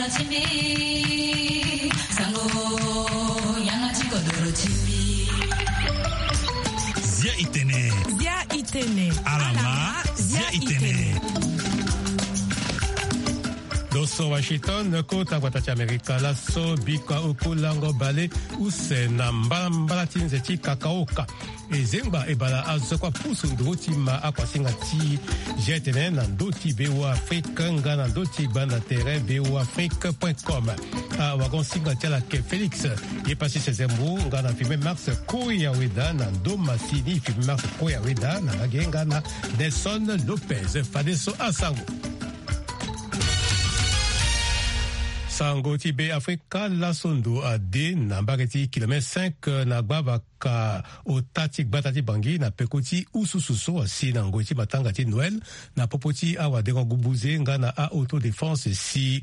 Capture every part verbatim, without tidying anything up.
Zia itene. Zia itene. Alama, zia itene. Lo so Washington, kota gbata ti Amerika laso, bikua oku lango bale use na mbalambala ti nze ti kakaoka. E zengba e bala azo kua pusu nduru ti ma akuasinga ti G T N na ndö ti Bêo Afrique nga na ndö ti gbanda tere Bêo Afrique point com. Awagon-singa ti ala ayeke Félix Yepassi Sezembo nga na Firmin Marx Koyaweda na ndö masini. Firmin Marx Koyaweda na lage nga na Nelson Lopez. Fadeso asango. Sango ti Be Afrika, laso ndo ade na mbage ti kilomètre cinq na gbavaka ota ti gbata ti Bangui na peko ti ususu so asi na ngoi ti matanga ti Noël na popo ti awadengo-gubuze nga na a-autodéfense si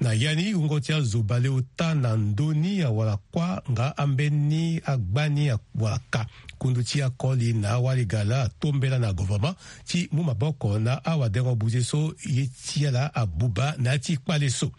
na ya ni wungo ti azo baleota na ndö ni awara kuâ nga ambeni agbani awara ka. Kundu ti akoli na awali gala atombela na gouvernement ti mu maboko na awadengo-buze so ye ti ala abuba na ya ti kpale so.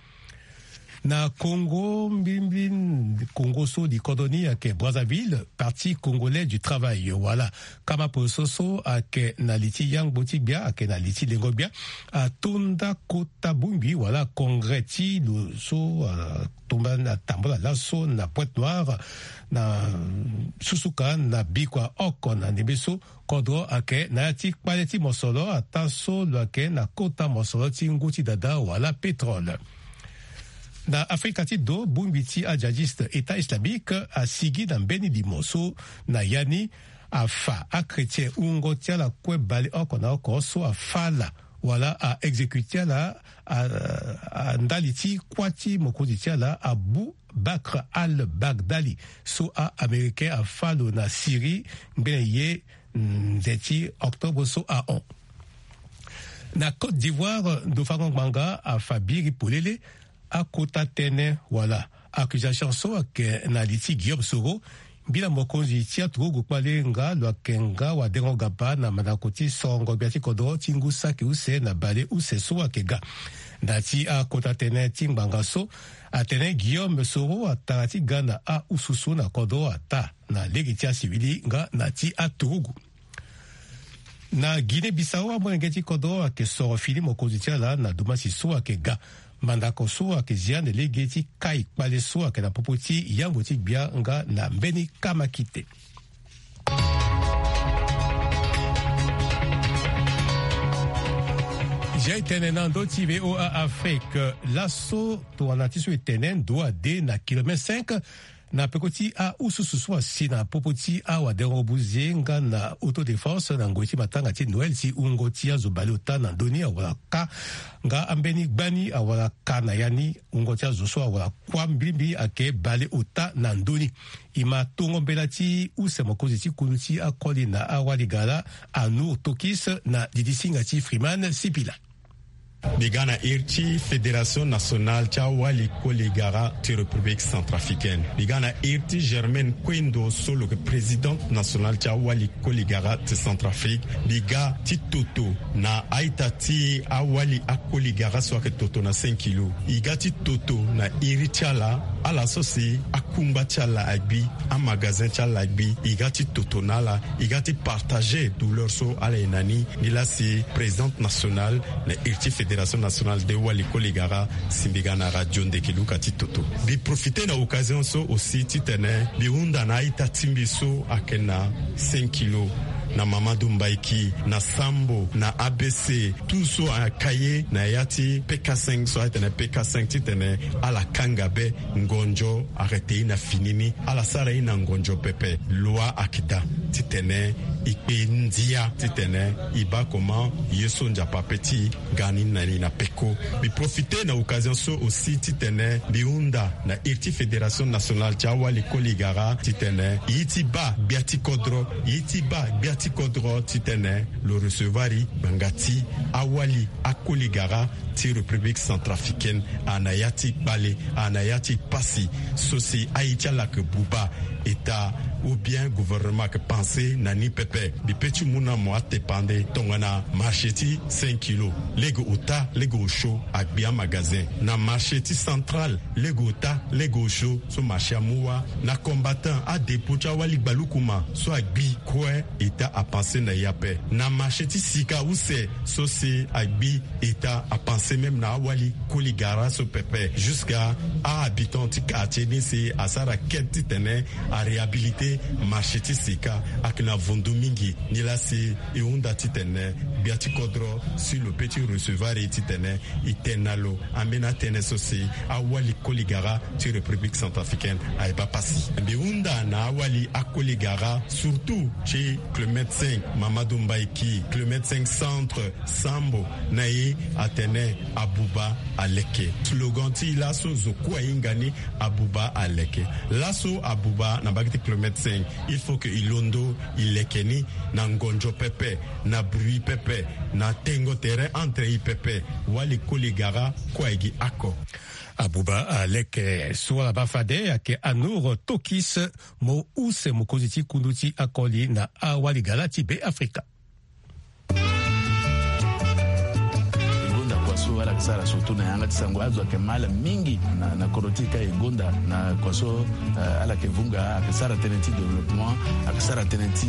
Na Congo, mbilimbili Congo so li kodro ni ayeke Brazzaville, Parti Congolais du Travail wala kama poroso so ayeke na li ti yangbo ti gbia, ayeke na li ti lengo gbia, atonda kota bongbi wala congrès ti lo so, ah, tomba na tambola laso na Pointe-Noire na susuka na bikua oko na ndembe so. Kodro ayeke na ya ti kpale ti mosoro ataa so lo yeke na kota mosoro ti ngu ti dada wala pétrole. Na Afrika ti do, bongbi ti ajihadiste État Islamique asigi na mbeni limo so na ya ni afa achrétien wungo ti ala kue baleoko na oko so afa ala wala a-exécuter ala, a, a ndali ti kuâ ti mokonzi ti ala Abu Bakr al-Baghdadi so a-Américain afa lo na Syrie ngbene ye nze ti octobre so ahon. Na Côte d'Ivoire, ndo fango ngbanga afa biri polele akota tënë wala accusation so ayeke na li ti Guillaume Soro, mbila mokonzi ti aturugu kpale nga lo yeke nga wadengo gaba na mandako ti sorongo gbia ti kodro ti ngu saki use na bale use so ayeke ga. Na ya ti akota tënë ti ngbanga so, atene Guillaume Soro atara ti ga na aususu na kodro ataa na lege ti asivili nga na ti aturugu. Na Guinée Bissau, amolenge ti kodro ayeke soro fini mokonzi ti ala na dumasi so ayeke ga. Mandako so ayeke zia na lege ti kai kpale so ayeke na popo ti yangbo ti gbia nga na mbeni kamakite. Zia e tene na ndö ti V O A Afrique laso, tongana ti so e tene ndo ade na kilomètre cinq na peko ti aususu so asi na popo ti awadengo-buze nga na autodéfense na ngoi ti matanga ti Noël ti wungo ti azo baleota na ndö ni awara ka nga ambeni gbani awara ka na ya ni. Wungo ti azo so awara kuâ mbilimbili ayeke baleota na ndö ni. E ma tongo mbela ti use mokonzi ti kundu ti akoli na awali gala Anour Tokis na didi singa ti Freeman Sipila. Mbi ga na iri ti Fédération Nationale ti awali koli gara ti République Centrafricaine. Mbi ga na iri ti Germaine Kwendo so lo yeke présidente nationale ti awali koli gara ti Centrafrique. Mbi ga ti toto na a-ita ti awali akoli gara so ayeke toto na cinq kilo. E ga ti toto na iri ti ala, ala so si akungba ti ala agbi, amagazin ti ala agbi. E ga ti toto na ala, e ga ti partager douleur so ala ye na ni. Nilaa si présidente nationale na iri ti Fédération Nationale des Wali Koli Gara si mbi ga na radio Ndeke Luka ti toto. Mbi profiter na occasion so aussi titene mbi hunda na a-ita ti mbi so ayeke na cinq kilo, na Mamadou Mbaiki, na Sambo, na A B C, tout so ayeke ye na ya ti P K cinq so ayeke tene P K cinq titene ala kanga be ngonzo arrêter ye na fini ni, ala sara ye na ngonzo pepe. Loi ayeke daa titene e kpe ndia titene e baa comment ye so Nzapa ape ti e ga ni na ni na peko. Mbi profiter na occasion so aussi titene mbi hunda na iri ti Fédération Nationale ti awali koli gara titene e ye ti baa gbia ti kodro, e ye ti baa gbia ti kodro titene lo recevoir e ngbanga ti awali akoli gara ti République Centrafricaine. A na ya ti kpale, a na ya ti pasi so si aye ti ala yeke buba. État Ou bien gouvernement ayeke panse na ni pepe. Mbi pe ti mu na mo atepande tongana marché ti cinq kilo, lege ota lege osio agbi amagazin. Na marché ti central, lege ota lege osio so marché amu wâ. Na combattant, adépôt ti awali gbalukuma so agbi kue, eta apanse na e ape. Na marché ti sika use so si agbi, eta apanse même na awali koli gara so pepe, jusqu'à ahabitant ti quartier ni si asara quête titene aréhabilité marché ti sika. Ayeke na vundu mingi. Nilaa si e hunda titene gbia ti kodro si lo pe ti recevoir e titene e tene na lo ambeni atënë so si awali koli gara ti République centrafricaine aye baa pasi. Mbi hunda na awali akoli gara, surtout ti kilomètre cinq, Mamadou Mbaye Ki, kilomètre cinq centre, Sambo, na e atene abuba aleke. Slogan ti e laso zo kue ahinga ni, abuba aleke. Laso abuba na mbage ti kilomètre cinq, il faut que e londo e leke ni na ngonzo pepe, na bruit pepe, na tengo terrain entre e pepe. Wali koli gara kue aye gi oko. Abuba aleke. So ala baa fade ayeke Anour Tokis, mo use mokonzi ti kundu ti akoli na awali gara ti Beafrika. E gonda kua so ala yeke sara surtout na yanga ti sango, azo ayeke ma ala mingi na, na kodro ti e ka. E gonda na kua so, eh, ala yeke vunga, ayeke sara tënë ti développement, ayeke sara tënë ti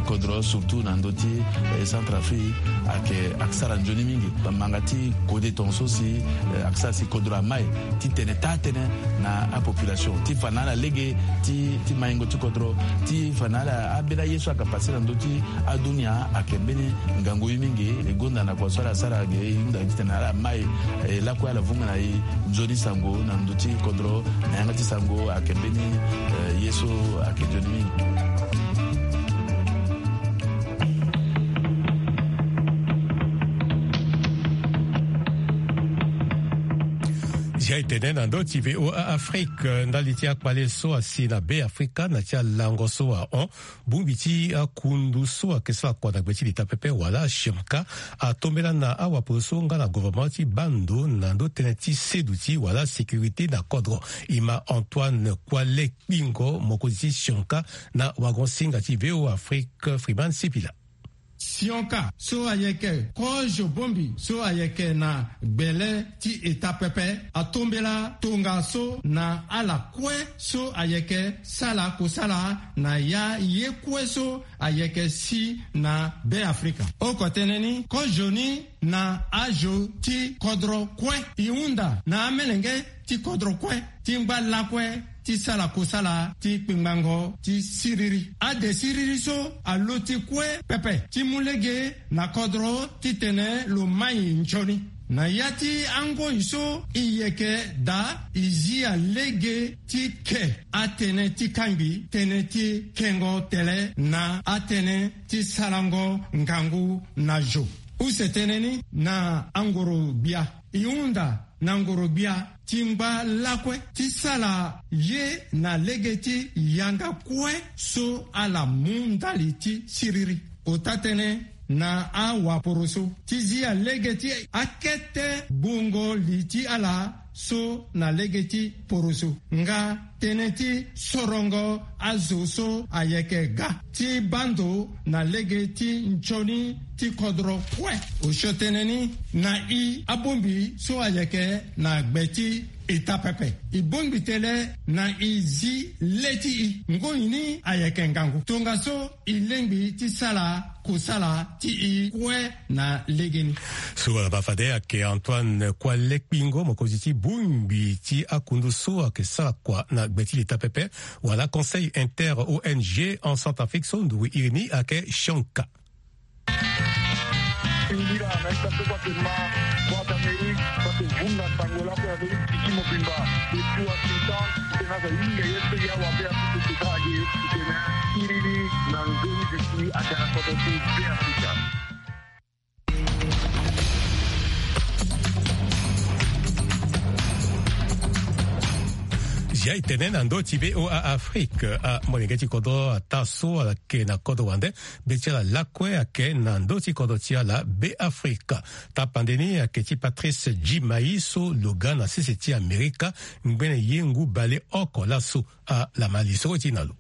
kodro surtout na ndö ti, eh, Centrafrique, ayeke, ayeke sara nzoni mingi. Bamanga ti kode tongaso si, eh, ayeke sara si kodro ama e ti tene taa tënë na apopulation, ti fa na ala lege ti, ti maingo ti kodro, ti fa na ala ambeni aye so ayeke pase na ndö ti adunia. Ayeke mbeni ngangu ye mingi. E gonda na kua so ala sara ge, e hunda titene ala ma e, e lakue ala vunga na e nzoni sango na ndö ti kodro, na yanga ti sango ayeke mbeni, eh, ye so ayeke nzoni mingi. Zia e tene na ndö ti V O A Afrique, ndali ti akpale so asi na Beafrika na ti alango so ahon. Bongbi ti akundu so ayeke sara kua na gbe ti leta pepe wala Shonka atombela na awaporo so nga na gouvernement ti baa ndo na ndö tënë ti seduti wala sécurité na kodro. E ma Antoine Kuale Kpingo, mokonzi ti Shonka, na wagon-singa ti V O A Afrique, Freeman Sipila. Sionka so ayeke kozo bongbi so ayeke na gbele ti eta pepe atombela tongaso na ala kue so ayeke sala kosala na ya ye kue so ayeke si na Beafrika. Oko tënë ni, kozo ni na azo ti kodro kue. E hunda na amelenge ti kodro kue ti ngba lakue ti sala kosala ti kpengbango ti siriri. Ade siriri so aluti kue pepe ti mu lege na kodro titene lo mai nzoni. Na ya ti angoi so e yeke daa, e zia lege ti ke atënë ti kangbi, tënë ti kengo tele na atënë ti sarango ngangu na zo. Use tënë ni na angoro-gbia. E hunda na ngoro-gbia ti ngba lakue ti sala ye na lege ti yanga kue so ala mu ndali ti siriri. Ota-tënë na awaporoso ti zia lege ti akete gbungo li ti ala so na lege ti poroso nga tënë ti sorongo azo so ayeke ga ti baa ndo na lege ti nzoni ti kodro kue. Osio tënë ni na e abongbi so ayeke na gbe ti eta pepe. E bongbi tele na e zi le ti e. Ngoi ni ayeke ngangu. Tongaso e lingbi ti sala kosala ti e kue na legeni. So ala baa fade ayeke Antoine Kuale Kpingo, mokonzi ti bongbi ti akundu so ayeke sara kua na gbe ti leta pepe wala Conseil inter O N G en Centrafrique so nduru iri ni ayeke Shonka. Singila na ita so bate ma Voix d'Amérique, bate vunga sango lako ya Amérique ti mobimba. Depuis Washington, tena za yinga ye pe ya wa pe ya pe tena ye tena iriri na nzoni bisi a tena koto ti Beafrika. Zia e tene na ndö ti V O A Afrique, amolenge ti kodro ataa so ala yeke na kodro wande, be ti ala lakue ayeke na ndö ti kodro ti ala Beafrika. Tapande ni ayeke ti Patrice Djimai so lo ga na sese ti Amerika, ngbene ye ngu baleoko laso. Ala ma li soro ti na lo.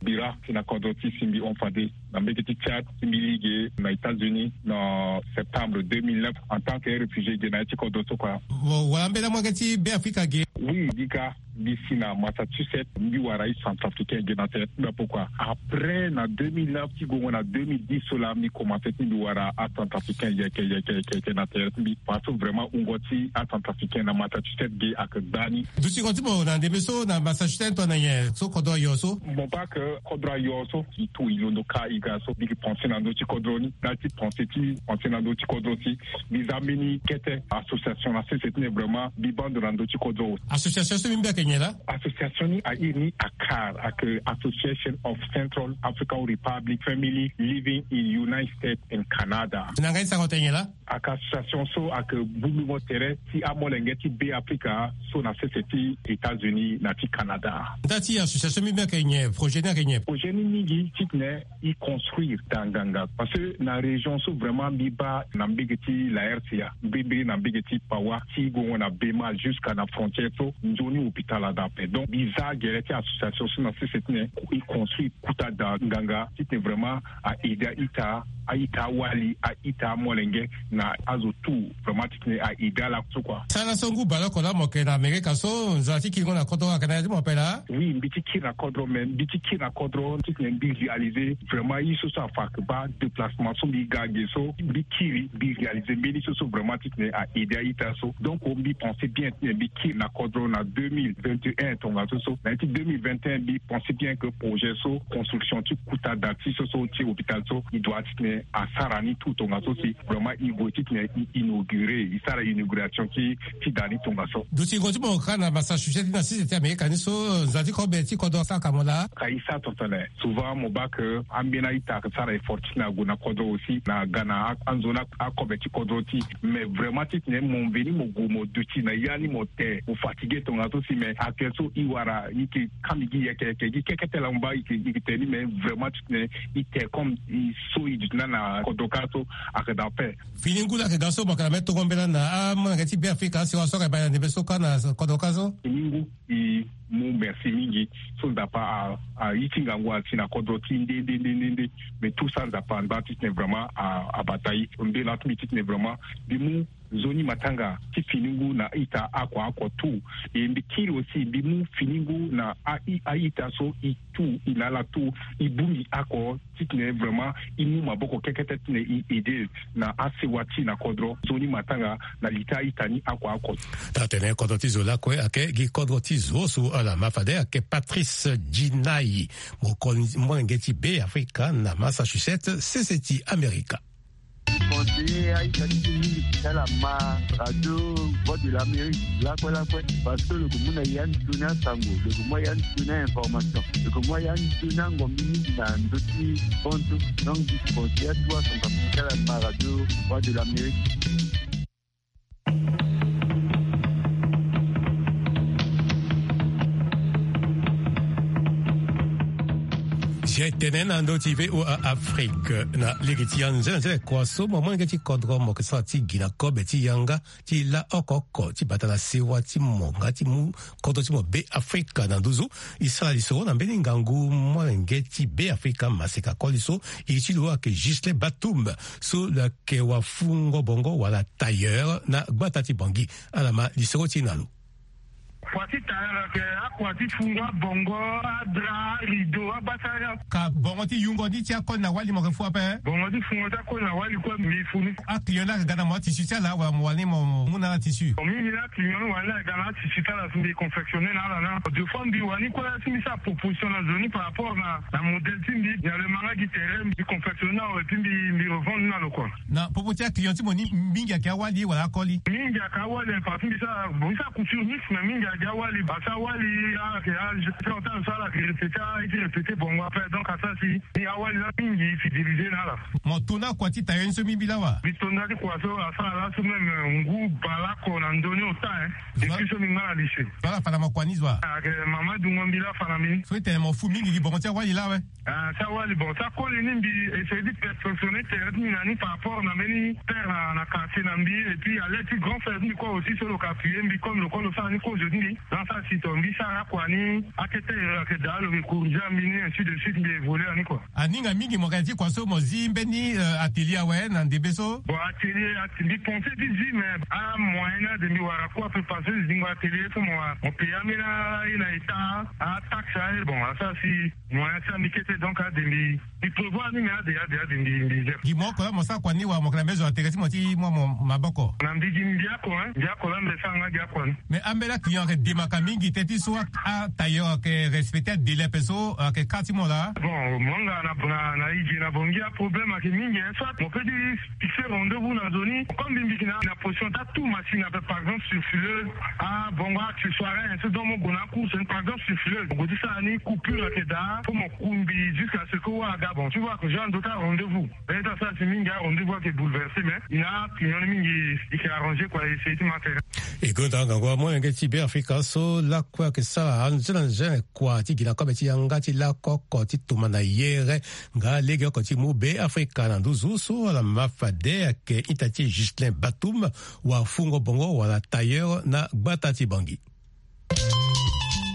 bira ti na kodro ti si mbi hon fade na mbege ti Tchad, si mbi li ge na États-Unis na septembre deux mille neuf en tant que réfugié ge na ya ti kodro so kua. Bon, wala mbela molenge ti Be Afrika ge? Oui, mbi ga, mbi si na Massachusetts, mbi wara acentrafricain ge na tere ti mbi. Pourquoi? Après na deux mille neuf ti gongo na deux mille dix so laa, mbi commencé ti mbi wara acentrafricain yeke yeke yeke yeke na tere ti mbi. Parce que vraiment wungo ti acentrafricain na Massachusetts ge ayeke gbani. Dutingo ti mo na ndembe so na Massachusetts tongana nyen so kodro ayo so? Mo baa ke kodro ayo so, e tout e londo ka e ga so, mbi yeke pensé na ndö ti kodro ni. Na ya ti pensé ti pensé na ndö ti kodro si, mbi za mbeni kete association na sese ti tene vraiment mbi baa ndo na ndö ti kodro. Association so mbi mbi ayeke nyen laa? Association ni a iri ni ACAR, ayeke Association of Central African Republic Family Living in United States and Canada. Na nga ni sango tene nyen laa? Ayeke association so ayeke bungbingo tere ti amolenge ti Be Afrika so na sese ti États-Unis na ti Canada. Nda ti association mbi mbi ayeke nyen? Projet ni ayeke nyen? Projet ni mingi ti tene e construire daa nganga. Parce que na région so vraiment mbi baa na mbege ti la R C A, mbi baa na mbege ti Pawa, ti gongo na Bema jusqu'à na frontière so, nzoni hôpital adaa ape. Donc mbi za gere ti association so na sese ti tene e construire kota daa nganga ti tene vraiment a-ede a-ita, a-ita awali, a-ita amolenge na azo tout, vraiment ti tene a-ede ala so kua. Sara so ngu baleoko laa mo yeke na Amerika so, nzara ti kiringo na kodro ayeke na ya ti mo ape laa? Oui, mbi ti kiri na kodro, mais mbi ti kiri na kodro ti tene mbi réalisé vraiment ye so so afa ayeke baa déplacement so mbi ga ge so, mbi kiri, mbi réalisé mbeni so so vraiment ti tene a-ede a-ita so. Donc mbi pensé bien ti tene mbi kiri na kodro na deux mille vingt et un tongaso so. Na ya ti deux mille vingt et un mbi pensé bien que projet so, construction ti kota daa ti so so ti hôpital so, e doit ti tene asara ni tout tongaso si vraiment e gue ti tene e inauguré, e sara inauguration ti, ti daa ni tongaso. Dutingo ti mo kâ na Massachusetts ti na sese ti Amerika ni so, nzara ti kobe ti kodro asara ka mo laa? Ka e sara tongana nyen? Souvent mo baa ke ambeni a-ita ayeke sara effort ti tene ague na kodro aussi, na ga na a, anzoni a, akobe ti kodro ti. Mais vraiment ti tene mo veni mo gue mo duti na ya ni mo te, mo fatigué tongaso si, mais actuel so e wara e yeke kambi gi yeke yeke gi keke tene laa mo baa e yeke, e yeke tene ni, mais vraiment ti tene e te comme e so e duti na na kodro kâ so ayeke daa ape. Fini ngu laa ayeke ga so mo yeke na mbeni tongo mbela na amolenge ti Be Afrika, asewa so ayeke baa na ndembe so kâ na kodro kâ so. Fini ngu. E mu merci mingi so Nzapa a, a iri ti ngangu asi na kodro ti nde nde nde nde nde. Mais tout ça Nzapa anda ti tene vraiment a, abata e. Mbela ti mbi ti tene vraiment mbi mu nzoni matanga ti fini ngu na ita oko oko tout. E mbi kiri aussi mbi mu fini ngu na a, a ita so e tout, e na ala tout, e bongbi oko ti tene vraiment e mu maboko kekete ti tene e aidé na asewa ti e na kodro, nzoni matanga na li ti a-ita ni oko oko. Taa-tene kodro ti zo lakue ayeke gi kodro ti zo so ala ma fade ayeke Patrice Djinayi, mo kon molenge ti Be Afrika na Massachusetts, sese ti Amerika. Conseiller a-ita ti ti mingi ti ala ma radio Voix de l'Amérique lakue lakue, parce que lo yeke mu na ya ni toni asango, lo yeke mu ya ni toni a-information, lo yeke mu ya ni toni angombi mingi na ndö ti hon so. Donc mbi conseiller atuwa Centrafrique ti ala ma radio Voix de l'Amérique. Zia e tene na ndö ti V O A Afrique na lege ti anzenanzene kua so mo molenge ti kodro mo yeke sara ti gi na kobe ti yanga ti la oko oko ti bata na sewa ti mo nga ti mu kodro ti mo Be Afrika na nduzu. E sara lisoro na mbeni ngangu molenge ti Be Afrika maseka koli so, e ti lo ayeke Ghislain Batum so lo yeke wafungo bongo wala tailleur na gbata ti Bangui. Ala ma lisoro ti e na lo. Kua ti tailleur ayeke akua ti fungo abongo, adra, arideau, agbasara. Ka bongo ti yungo ni ti akoli na wali mo yeke fu ape? Bongo ti fungo ti akoli na wali kue mbi fu ni. Aclient ni ayeke ga na mo atissu ti ala wala mo wani mo mu na ala tissu? Bon, mingi ni aclient ni wani aga na atissu ti ala si mbi confectionner na ala na. Deux fois mbi wani kue si mbi sara proposition na zo ni par rapport na, na modèle ti mbi. Mbi ale ma nga gi terrain mbi confectionner na lo et puis mbi, mbi revendre ni na lo kua. Na popo ti aclient ti mo ni mingi ayeke awali wala akoli? Mingi ayeke awali, parce que mbi sara, bon, mbi sara couture mixte, mais mingi ayeke awali. Parce que awali ayeke age ti ota so ala yeke répéter, ala ye ti répéter bongo ape. Donc asara si ni awali laa mingi fidélisé na ala. Mo to na kua ti tailleur ni so mbi mbi laa wa? Mbi to na ti kua so asara laso même, euh, ngu baleoko na ndö ni ota, hein. Voilà. Depuis so mbi nga na lycée. Voilà, fa na mo kua ni zo wa? Ayeke mama dungo mbi laa fa na mbi. So e tene mo fu mingi gi bongo ti awali laa awe? Ah, ti awali, bon, ti akoli ni mbi essayer ti perfectionner tere ti mbi na ni par rapport na mbeni père na, na quartier na mbi, et puis à l'aide ti grand frère ti mbi kue aussi so lo yeke appuyer mbi comme lo kue lo sara ni kozo ti mbi. Dans sa si to mbi sara kua ni akete ero ayeke daa lo yeke corriger mbi ni, ainsi de suite, mbi évoluer ni kua. Aninga mingi mo yeke na ti kua so mo zi mbeni atelier awe na ndembe so? Bon, atelier, mbi pense ti zi, mais amoyen ni ade mbi wara kua pe parce que zingo atelier so mo wara mo paye ambeni aye na état, ataxe aye. Bon, asara si moyen ti ambi kete, donc ade mbi prévoir ni, mais ade ade ade mbi mbi zer. Gi mo oko la mo sara kua ni wala mo yeke na mbeni zo na tere ti mo ti mu amo maboko? Na mbi gi mbi ako, hein, mbi ako la mbi sara nga gi ako ni. Mais ambeni aclient ayeke demaka mingi teti so atailleur ayeke respecter adélai ape so ayeke kâ ti mo laa? Bon, mo nga na na na ige na bongi aproblème ayeke mingi, hein. Soit mo peut ti fixer rendez-vous na nzoni, comme mbi mbi yeke na na position ti atu machine ape, par exemple sur fileuse, abongo accessoire, hein, so donc mo gue na acourse ni, par exemple sur fileuse mo gue ti sara ni coupure ayeke daa, faut mo kumbi jusqu'à ce que wâ aga. Bon, tu vois que genre ndo ti arendez-vous. Bene ti asara si mingi arendez-vous ayeke bouleversé, mais i na client ni mingi, i yeke arrangé kua, essayer ti ma tere. E gonda ngangu amolenge ti Beafrika so lakue ayeke sara anze na anze kua ti gi na kobe ti yanga ti lako oko ti toma na yere nga legeoko ti mu Beafrika na nduzu so ala ma fade ayeke ita ti Ghislain Batum, wafungo bongo wala tailleur na gbata ti Bangui.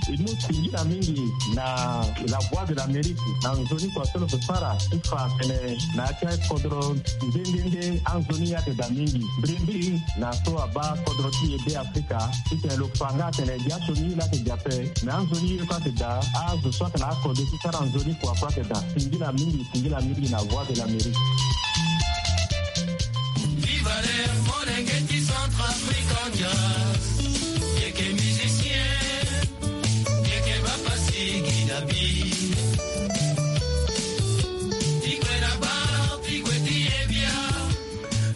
E mu singila mingi na La Voix de l'Amérique na nzoni kua so lo yeke sara ti fa atene na ya ti akodro nde nde nde anzoni ye ayeke daa mingi. Mbirimbiri na so abaa kodro ti e Beafrika ti tene lo fa nga atene gi asioni ye laa ayeke gi ape, me anzoni ye kue ayeke daa, azo so ayeke na akode ti sara nzoni kua kue ayeke daa. Singila mingi, singila mingi na Voix de l'Amérique. Viva le molenge ti Centrafrique. Yeke musicien, yeke bapasi gi na bi. Ti gue na bar, ti gue ti ye bia.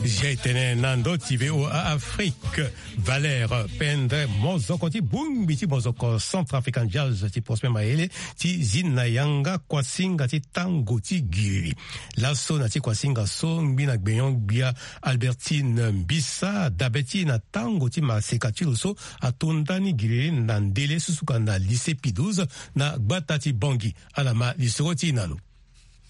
Zia e tene na ndö ti V O A Afrique. Valère Pendre, mozoko ti bongbi ti mozoko Centrafrican Jazz ti Prosper Mayele ti zi na yanga kuasinga ti tango ti giriri. Laso na ti kuasinga so ngbi na gbenyo-gbia Albertine Mbisa adabe ti e na tango ti maseka ti lo so ato ndani giriri na ndele susuka na lycée Pie douze na gbata ti Bangui. Ala ma lisoro ti e na lo.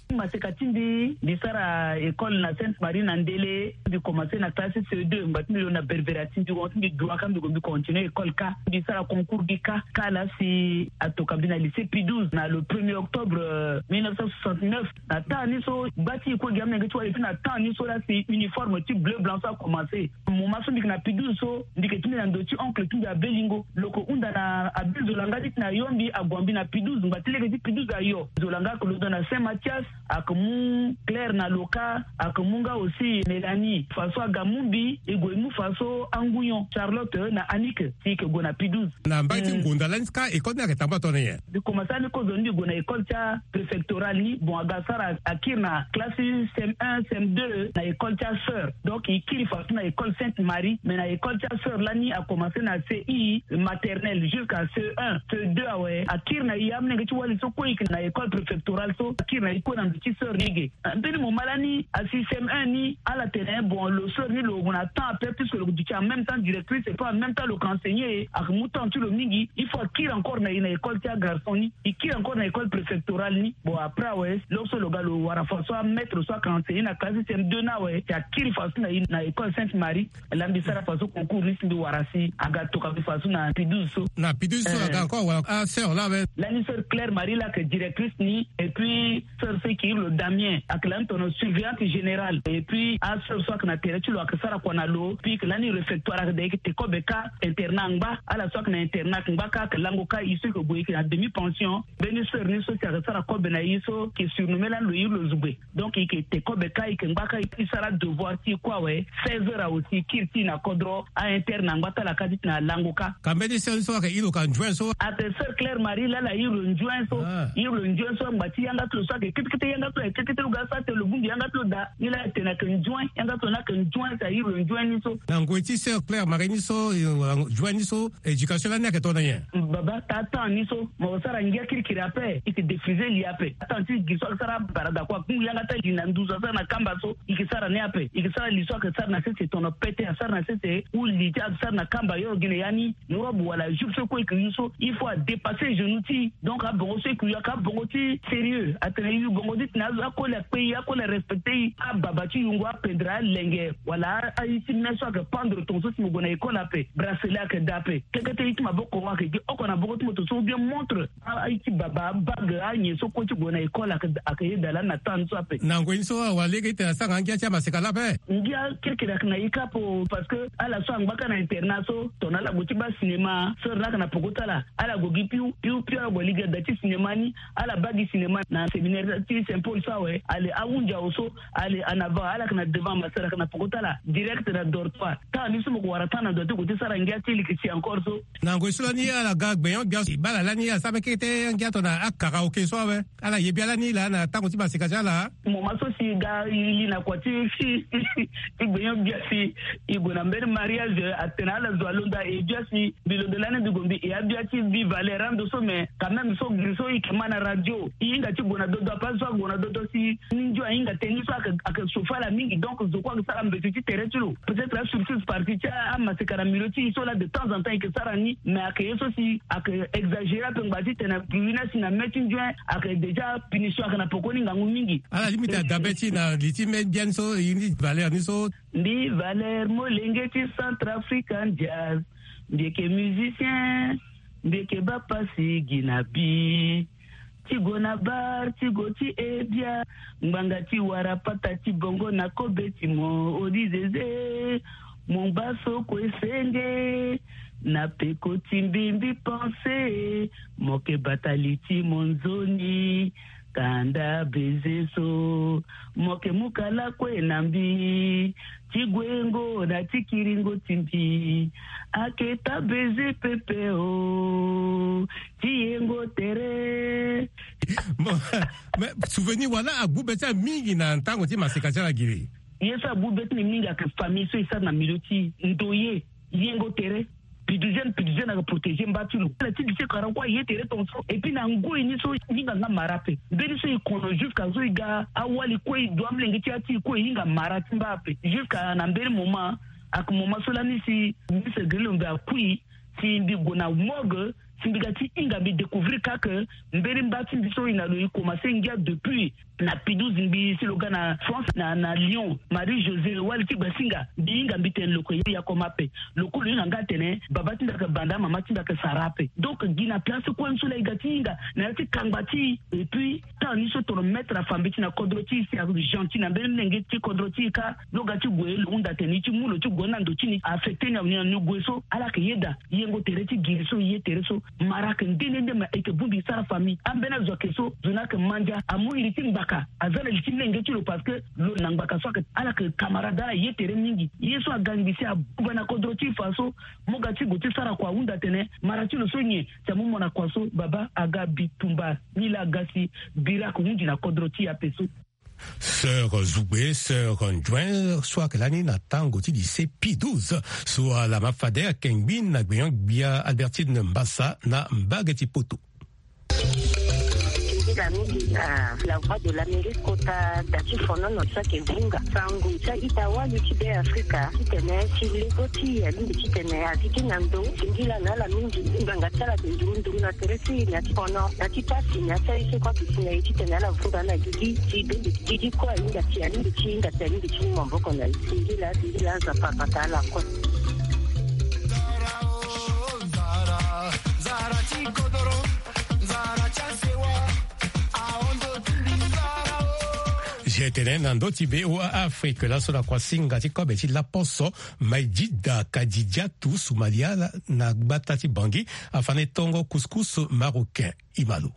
Maseka ti mbi, mbi sara école na Sainte Marie na Ndele. Mbi commencé na classe C deux, ngba ti mbi lo na Berbera ti mbi, won ti mbi dua ka mbi gue mbi continue école ka. Mbi sara concours gi ka, ka la si atoka mbi na lycée Pie douze na le premier octobre, euh, mille neuf cent soixante-neuf. Na temps ni so, bâ ti e kue gi amolenge ti wali, et puis na temps ni so la si uniforme ti bleu blanc so a commencé. Moment so mbi yeke na Pie douze so, mbi yeke ti mbi na ndo ti oncle ti mbi Abelingo. Lo yeke hunda na Abel Zolanga ti tene ayo mbi, ague mbi na Pie douze, ngba ti lege ti Pie douze ayo. Zolanga ayeke londo na Saint Mathias, ayeke mu Claire na Loka, ayeke mu nga aussi Mélanie. Faso aga mu mbi, e gue e mu faso angu nyon, Charlotte na Annick, si e yeke gue na Pie douze. Na mbai ti ngonda lani ka école ni ayeke tambula tongana nyen? Mbi commencé ani kozoni mbi gue na école ti apréfectorale ni. Bon, aga sara akiri na classe C M un, C M deux na école ti asœur. Donc e kiri faso na école Sainte Marie, mais na école ti asœur lani a commencé na C I maternelle jusqu'à C un, C deux awe. Akiri na e, amolenge ti wali so kue e yeke na école préfectorale so, akiri na e kue na ndo ti sœur ni ge. Mbeni moment lani asi C M un ni, ala tene bon, lo sœur ni lo gue na temps ape, puisque lo duti en même temps directrice et puis en même temps lo yeke enseigner, ayeke mu temps ti lo mingi. Il faut akiri encore na e na école ti agarçon ni, e kiri encore na école préfectorale ni. Bon, après awe, lo so lo ga lo wara faso amaître so ayeke enseigner na classe C M deux ni awe, si akiri faso na e na école Sainte Marie. Laa mbi sara faso concours ni si mbi wara si aga toka mbi faso na Pie douze so. Na Pie douze so aga encore wara asœur laa awe. Lani sœur Claire Marie laa ayeke directrice ni, et puis sœur so e yeke iri lo Damien ayeke lani tongana surveillante générale. Et puis asœur so ayeke na tere ti lo ayeke sara kua na lo. Puis e yeke lani réfectoire, ayeke daa e yeke te kobe ka, internat angba. Ala so ayeke na internat ayeke ngba ka, ayeke lango ka. E so e yeke gue e yeke na demi pension. Mbeni sœur ni so si ayeke sara kobe na e so e yeke surnommé lani lo iri lo Zugbe. Donc e yeke te kobe ka, e yeke ngba ka, e sara devoir ti e kue awe. Seize heures awe si e kiri ti e na kodro, a-interne angba ti ala ka ti tena alango ka. Ka mbeni sœur ni so ayeke iri lo ka nzuen so? Ayeke sœur Claire Marie laa ala iri lo nzuen so. Ah. Iri lo nzuen so, ngba ti yanga ti lo so ayeke ketekete, yanga ti lo ayeke ketekete, lo ga sara tene lo bongbi yanga ti lo daa. Ni laa e tene ayeke nzuen, yanga ti lo ni ayeke nzuen, si a iri lo nzuen ni so. Na ngoi ti sœur Claire Marie ni so, eh, nzuen ni so, éducation lani ayeke tongana nyen? Baba, taa temps ni so mo sara ngia kirikiri ape, e yeke défriser li ape. Temps ti gi so ayeke sara barada kue, akungu yanga ti ali na nduzu asara na kamba so, e yeke sara ni ape. E yeke sara li so ayeke sara na sese tongana pete, asara na sese, ou li ti ayeke sara na kamba, yo gi na ya ni, robe wala jupe so kue e yeke yu so, il faut adépasser genou ti e. Donc abongo so e yeke yu ayeke abongo ti sérieux. Atene e yu bongo ti Na azo akoli akpe i, akoli arespecte i. Ababa ti yungo, apendre alenge, wala a- ayi ti me so ayeke pendre tonga so si mo gue na école ape, bracelet ayeke daa ape. Kekete i ti maboko ayeke gi oko na boko ti moto so, ou bien montre, a- ayi ti baba, abague, anyen so kue ti gue na école ayeke, ayeke yeda lani na temps ni so ape. Na ngoi ni so awa lege ti tene asara nga ngia ti amaseka laa ape. Ngia kekerek ayeke na e kâ ape, parce que ala so angba kâ na internat so, tongana ala gue ti baa cinéma so, ala yeke na poko ti ala, ala gue gi piu, piu, piu, ala gue lege da ti cinéma ni. Ala baa gi cinéma na séminaire ti Saint Paul so awe. Ale, ahunzi awe so, ale en avant, ala yeke na devant, masara ayeke na poko ti ala, direct na dortoir. Temps ni so mo ko wara temps na ndo ti gue ti sara ngia ti leke si encore so. Na ngoi so lani ala ga gbenyo-gbia si baa ala lani asara mbeni kete ngia tongana akaraoke so awe. Ala ye bia lani laa na tango ti maseka ti ala. Moment so si ga i li na kua ti, ti gbenyo-gbia si i gue na mbeni mariage, atene ala zo alondo aye bia si mbi londo lani mbi gue mbi e abia ti Viva Air ando so, mais quand même so giri so i yeke ma na radio, i hinga ti gue na dodo, ape so ague na dodo si ni ndio ahinga tënë ni so ayeke, ayeke chauffer ala mingi. Donc zo kue ayeke sara mbeti ti tere ti lo. Peut-être asurtout partie ti amaseka na milieu ti e so laa de temps en temps e yeke sara ni, mais ayeke ye so si ayeke exagérer ape ngbanga ti tene ruiner si na me ti ndio ayeke déjà punition ayeke na pokoni ngangu mingi. Ala limite adabe ti e na li ti me biani so, e ni valeur ni so. Mbi Valère, molenge ti Centrafrican Jazz. Mbi yeke musicien, mbi yeke baa pasi gi na bi. Ti gue na bar, ti gue ti e bia. Ngbanga ti wara pata ti bongo na kobe ti mo, odi zeze. Mo ngba so kue senge. Na peko ti mbi, mbi pense. Mo yeke bata li ti mo nzoni. Kanda beze so. Mo yeke mu kala kue na mbi. Ti guengo na ti kiringo ti mbi. Aketa beze pepe o. Ti yengo tere. Bon, mais souvenir wala agbu be ti ala mingi na tango ti maseka ti ala giri. Ye so agbu be ti mbi mingi ayeke famille so e sara na milieu ti e, ndoye, yengo tere. Piduzene, piduzene ayeke protéger mba ti lo. Ala ti lycée kara kue aye tere tongaso. Et puis na ngoi ni so e hinga nga mara ape. Mbeni so e kono jusqu'à so e ga awali kue, e du amolenge ti ya ti e kue, e hinga mara ti mba ape. Jusqu'à na mbeni moment, ayeke moment so lani si Miss Grillo mbi akui, si mbi gue na morgue, si mbi ga ti hinga mbi découvrir kâ que mbeni mba ti mbi so e na lo e commencer ngia depuis na Pidouze, mbi si lo ga na France, na, na Lyon, Marie José, wali ti Basinga, mbi hinga mbi tene lo yeke yakoma ape. Lo kue lo hinga nga atene baba ti mbi ayeke banda, mama ti mbi ayeke sara ape. Donc gi na place kue ni so laa e ga ti hinga na ya ti kangba ti e. Et puis temps ni so tongana maître afa mbeti na kodro ti e si agentil na mbeni lenge ti kodro ti e kâ, lo ga ti gue lo hunda tene e ti mu lo ti gue na ndo ti ni, affecter ni awe ni na ni gue so. Ala yeke yeda yengo tere ti giri so, ye tere so. Mara ayeke nde nde nde, ma e yeke bongbi e sara famille. Ambeni azo ayeke so, zo ni ayeke mandia, amu iri ti ngbaka, aza na li ti lenge ti lo parce que lo na ngbaka so ayeke, ala yeke camarade, ala ye tere mingi. Ye so aga ngbi si abuba na kodro ti e fa so, mo ga ti gue ti sara kua ahunda tene mara ti lo so nyen, si amu mo na kua so, baba aga bi tumba. Ni laa aga si biri ayeke hunzi na kodro ti e ape so. Sœur Zougbe, sœur Njouen, so ayeke lani na tango ti lycée Pidouze, so ala ma fade ayeke ngbi na gbenyo-gbia Albertine Mbassa na mbage ti poto. Nzila mingi na La Voix de l'Amérique kota da ti fonono so ayeke vunga sango ti a-ita wali ti Be Afrika titene ti lego ti e alingbi titene a zi ti na ndo. Singila na ala mingi, ngbanga ti ala ayeke nduru nduru na tere ti e na ti fono, na ti pasi, na ti aye so kue ayeke si na e titene ala vunga ala gigi ti bende ti gigi kue ahinga ti, alingbi ti hinga ti, alingbi ti mu maboko na e. Singila, singila Nzapa, Nzapa ala kue. G T N na ndö ti V O A Afrique, laso na kuasinga ti kobe ti laposo, Maïdjida Kadidjatou Soumalia na gbata ti Bangui, afa ni tongo couscous marocain. Imalo.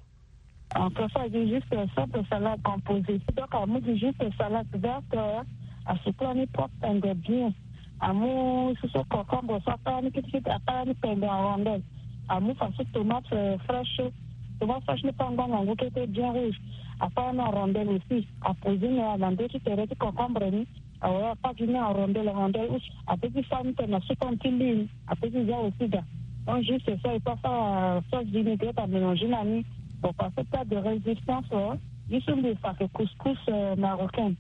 En fait, ça, c'est juste simple salade composée. Donc, amu gi juste salade verte, euh, asukula ni propre, pende bien. Amu susu concombre so, akpara ni kitikiti, akpara ni pende en rondelle. Amu fa so tomate, euh, fraîche. Tomate fraîche ni kpara ngbanga ngu kete bien rouge. Akpara ni en rondelle aussi. Aposer ni na ndö ti tere ti concombre ni. Awe, akpara gi ni en rondelle, rondelle use. Apeut ti sara ni tene na sukon ti lune. Apeut ti za aussi da. Donc juste ça, il faut faire, euh, sauce vinaigrette à mélanger na ni. Bon, parce que plat de résistance, euh, ye so mbi fa ayeke couscous, euh, marocain.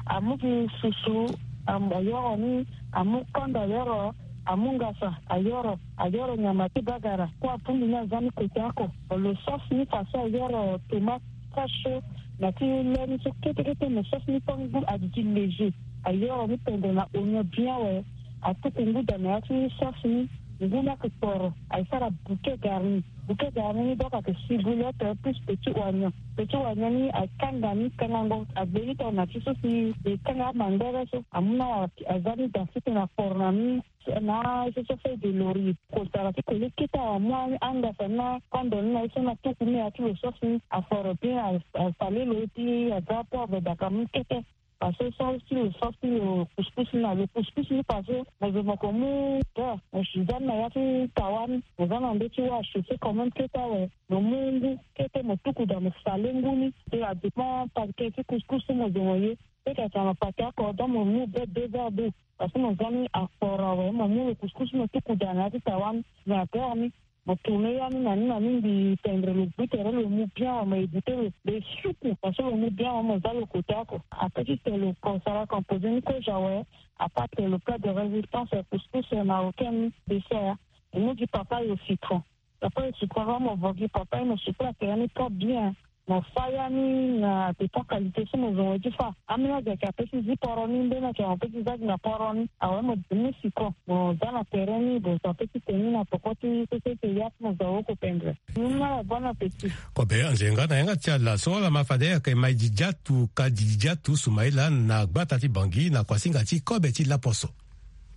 Amu gi susu, am-, ayoro ni, amu kondo ayoro, amu ngasa ayoro, ayoro nyama ti bagara. Kue apundi ni aza ni kote oko. Lo sauce ni façon ayoro tomate fraîche, Na ti le ni so kete kete mo sauce ni tant ngu adi ti léger. Ayoro ni pendre na oignon bien awe. Atuku ngu da na ya ti sauce ni. Ngu ni ayeke poro, aye sara bouquet garni. Bouquet garni ni donc ayeke ciboulette plus petit oignon. Petit oignon ni aye kanga ni kangango, agbeni tongana ti so si e kanga amandere so. Amu na aza ni da siki na poro na ni. Na so so feuille de laurier. Kotara ti koli kete amu angasa ni na kondo ni na ye so na tuku ni ya ti lo sauce ni. Aforo bien, a- asale lo ti aza poivre daka mu kete. Parce que so si lo sauce ti lo couscous ni na lo couscous ni parce que mo zo mo ko mu beurre, mo si za ni na ya ti tawa ni, mo za na ndö ti wâ chauffer quand même kete awe. Mo mu ngu kete mo tuku da mo sale ngu ni. Te adépend paquet ti couscous so mo zo mo ye. Peut-être atene na paquet oko donc mo mu be deux verres d'eau. Parce que mo za ni aforo awe, mo mu lo couscous mo tuku da na ya ti tawa ni, na beurre ni. Mo tourner ya ni na ni na ni mbi tendre lo gbu tere lo mu bien awe, mo éviter lo. Lo suku parce que lo mu bien awe, mo za lo côté oko. Après ti tene lo ko sara composer ni kozo awe, à part tene lo plat de résistance, couscous marocain ni, dessert. E mu gi papaye au citron. Papaye au citron, mo vo gi papaye, mo suku atere ni trop bien. Mo fa ya ni na dépend qualité so mo zo mo ye ti fa. Ambeni azo ayeke apesi zi poro ni, mbeni ayeke mo pesi za gi na poro ni. Awe mo mu citron, mo za na tere ni, mo zo apesi tene ni na poko ti so so ete ya ti mo zo awoko pendre. Ni na bon appétit. Kobe anzenga na yanga ti ala so ala ma fade ayeke Maïdidi Atu, Kadidi Atu, Soumaïla na gbata ti Bangui na kuasinga ti kobe ti laposo.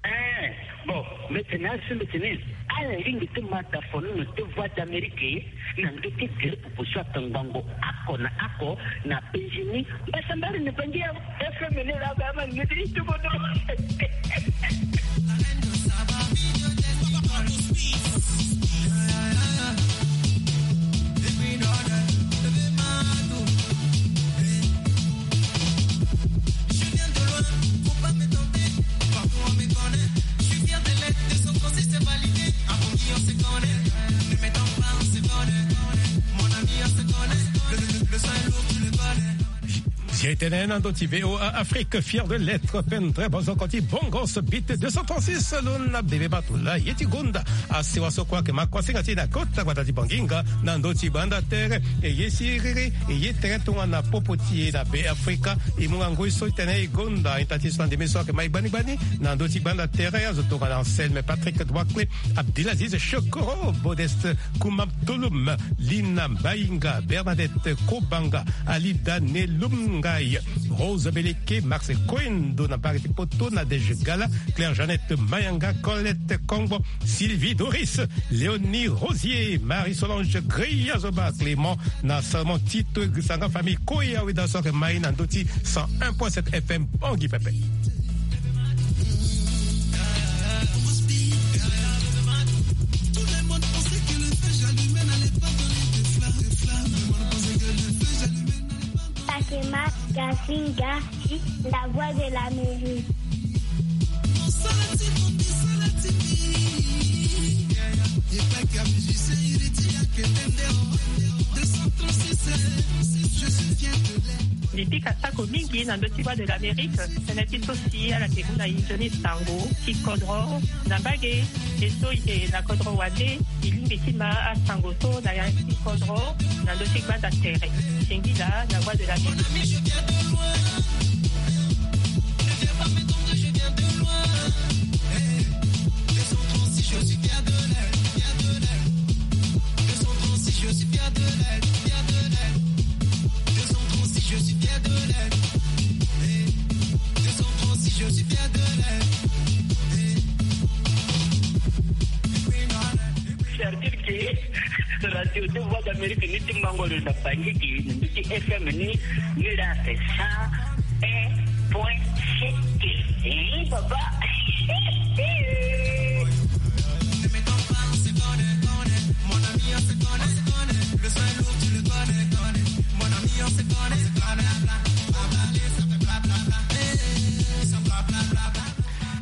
Eh, bon, mbi tene asi mbi tene ala lingbi ti ma tafono na ti Voix d'Amérique na ndö ti groupe so atongbango oko na oko na Benjini. Mbasambari ni bangi ya F M ni la ba ma ni ti tubono. Zia e tene na ndö ti V O A Afrique, fier de l'être, pendre bozoko ti Bongos, bit deux cent trente-six, lo na bebe Batula, ye ti gonda. Asewa so kue ayeke ma kuasinga ti e na kota gbata ti Banginga, na ndö ti gbanda tere, e ye siriri, e ye tere tongana popo ti e na Be Afrika. E mu nga ngoi so ti tene e gonda, ita ti so na ndembe so ayeke ma e gbani gbani, na ndö ti gbanda tere, azo tongana Anselme, Patrick Douakle, Abdelaziz Chokoro, Modeste Koumam Tolom, Lina Mbainga, Bernadette Kobanga, Alida Nelum Ngai, Rose Beleke, Max Koendo na Bari ti Poto, Nadège Gala, Claire Jeannette Mayanga, Colette Kongbo, Sylvie Doris, Léonie Rosier, Marie Solange Greya Zoba, Clément na Salomon Tito, Grisanga famille Koya Weda so ayeke ma e na ndö ti cent un point sept F M Bangui pepe. Takema Gasinga, la voix de l'Amérique. Mbi pika sako mingi na ndö ti Voix de l'Amérique, tënë ti so si ala yeke mu na e nzoni sango ti kodro na mbage. E so e yeke na kodro wande, e lingbi ti ma asango so na ya ti kodro na ndö ti gbanda tere. Singila na Voix de l'Amérique. Certitude que Radio de Voix d'Amérique ni ti mango lo na Bangui gi ni ti F M ni, ni la cent un point sept. Eh, baba.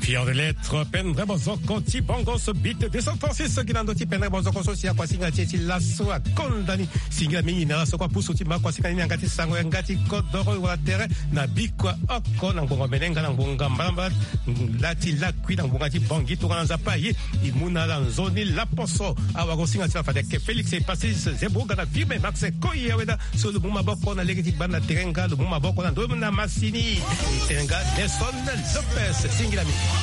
Pire de lettre pendre bozoko ti bongo so bit deux cent trente-six so gi na ndo ti pendre bozoko so si akuasinga ti e ti laso akonda ni. Singila mingi na laso kua pusu ti ma akuasinga ni na yanga ti sango yanga ti kodoro wala tere na bikua oko na ngbonga menenga na ngbonga mbalambala. Lati lakui na ngbonga ti bongi tongana nzapa ye. E mu na ala nzoni laposo. Awa kosinga ti ala fade ake Félix e Pacis zeboga na firme Max koi aweda. So lo mu maboko na lege ti gbanda tere nga lo mu maboko na ndo na masini. Tere nga Nelson Lopez singila mingi.